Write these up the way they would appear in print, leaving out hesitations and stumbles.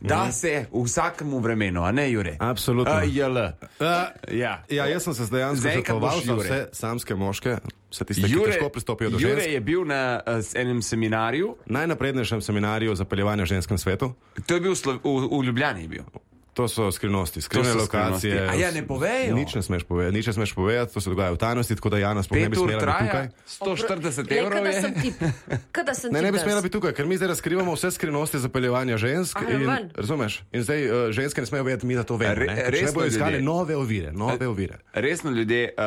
da se v vsakemu vremenu, a ne Jure? Absolutno. Ja, jaz sem se dejansko svetoval za vse samske moške, vse tiste, ki težko pristopijo do žensk. Jure je bil na enem seminarju. Najnaprednejšem seminarju zapeljevanja v ženskem svetu. To je bil v Ljubljani je bil. To so skrivnosti, skrivne lokacije. A ja, ne povejo. Nič ne smeš povedati, to se dogaja v tajnosti, tako da Jana sploh ne bi smela biti tukaj. 140 evrov je. Ne bi smela biti tukaj, ker mi zdaj razkrivamo vse skrivnosti zapeljevanja žensk. Razumeš? In zdaj ženske ne smejo vedeti, mi da to vemo. Ne bojo iskali nove ovire. Resno ljudje,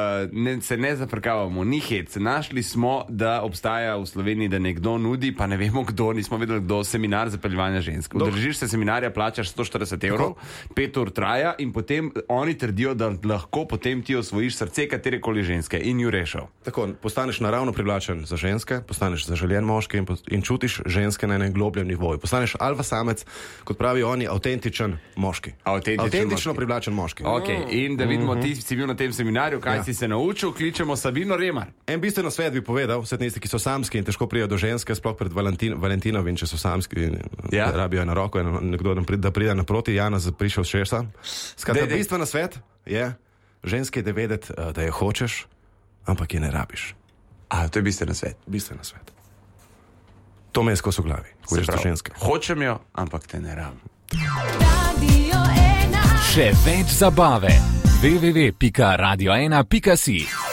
se ne zafrkavamo, ni hec. Našli smo, da obstaja v Sloveniji, da nekdo nudi, pa ne vemo kdo, nismo vedeli kdo, seminar zapeljevanja žensk. Udeležiš se seminarja, plačaš 140 evrov. 5 ur traja in potem oni trdijo, da lahko potem ti osvojiš srce katerekoli ženske in ju rešil. Tako, postaneš naravno privlačen za ženske, postaneš zaželjen moški in čutiš ženske na enem globljem nivoju. Postaneš alfa samec, kot pravijo oni, avtentičen moški. Avtentično privlačen moški. Okay. In da vidimo, ti si bil na tem seminarju, kaj si se naučil, kličemo Sabino Remar. En bistven svet bi povedal, vse tisti, ki so samski in težko prijajo do ženske, sploh pred Valentinovim, če so samski in rabijo na roko in nekdo da pride naproti, Jana prišel šesa. Skratka, bistven svet je ženske da vedeti, da je hočeš, ampak je ne rabiš. To je bistven svet. Bistven svet. To me je skozi v glavi, ko rečeš do ženske. Hočem jo, ampak te ne rabim. Še več zabave. www.radio1.si